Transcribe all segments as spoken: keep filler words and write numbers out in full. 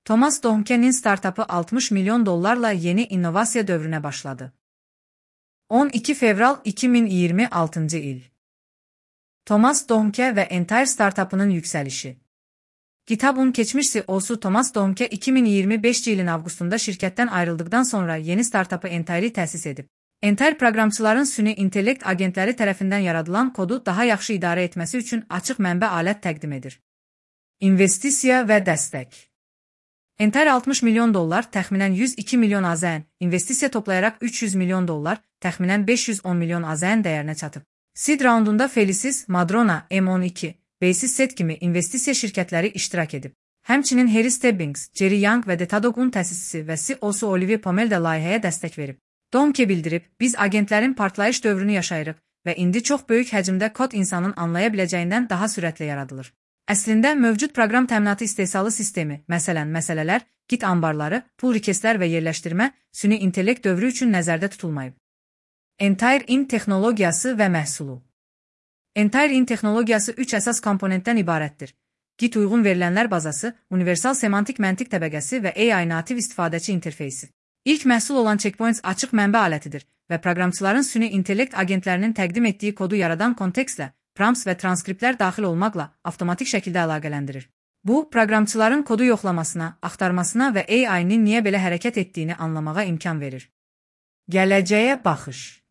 Thomas Dohmke'nin startupı altmış milyon dollarla yeni inovasiya dövrüne başladı. on iki fevral iki bin iyirmi altıncı il. Thomas Dohmke ve Entire startupının yükselişi. GitHub'un geçmiş C E O'su Thomas Dohmke iki bin iyirmi beşinci yılın Avgustunda şirketten ayrıldıktan sonra yeni startupı Entire'i təsis edib. Entire proqramçıların süni intellekt agentləri tərəfindən yaradılan kodu daha yaxşı idarə etməsi üçün açıq mənbə alət təqdim edir. İnvestisiya və dəstək. Entire altmış milyon dollar, təxminən yüz iki milyon A Z N, investisiya toplayaraq üç yüz milyon dollar, təxminən beş yüz on milyon A Z N dəyərinə çatıb. Seed raundunda Felicis, Madrona, M on iki, Basis kimi investisiya şirkətləri iştirak edib. Həmçinin Harry Stebbings, Jerry Yang və Datadog'un təsisçisi və C E O'su Olivier Pomel də layihəyə dəstək verib. Dohmke bildirib, biz agentlərin partlayış dövrünü yaşayırıq və indi çox böyük həcmdə kod insanın anlaya biləcəyindən daha sürətlə yaradılır. Əslində, mövcud proqram təminatı istehsalı sistemi, məsələn, məsələlər, Git ambarları, pull requestlər və yerləşdirmə, süni intellekt dövrü üçün nəzərdə tutulmayıb. Entire-in texnologiyası və məhsulu. Entire-in texnologiyası üç əsas komponentdən ibarətdir. Git uyğun verilənlər bazası, universal semantik məntiq təbəqəsi və A I nativ istifadəçi interfeysi. İlk məhsul olan Checkpoints açıq mənbə alətidir və proqramçıların süni intellekt agentlərinin təqdim etdiyi kodu yaradan kontekstlə, prompts və transkriptlər daxil olmaqla avtomatik şəkildə əlaqələndirir. Bu, proqramçıların kodu yoxlamasına, axtarmasına və A I-nin niyə belə hərəkət etdiyini anlamağa imkan verir. Gələcəyə baxış.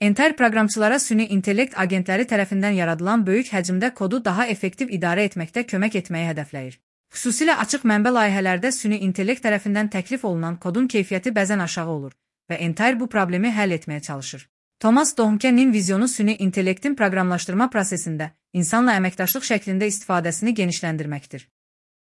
Entire proqramçılara süni intellekt agentləri tərəfindən yaradılan böyük həcmdə kodu daha effektiv idarə etməkdə kömək etməyi hədəfləyir. Xüsusilə açıq mənbə layihələrdə süni intellekt tərəfindən təklif olunan kodun keyfiyyəti bəzən aşağı olur və Entire bu problemi həll etməyə çalışır. Thomas Dohmke'nin vizyonu süni intellektin proqramlaşdırma prosesində insanla əməkdaşlıq şəklində istifadəsini genişləndirməkdir.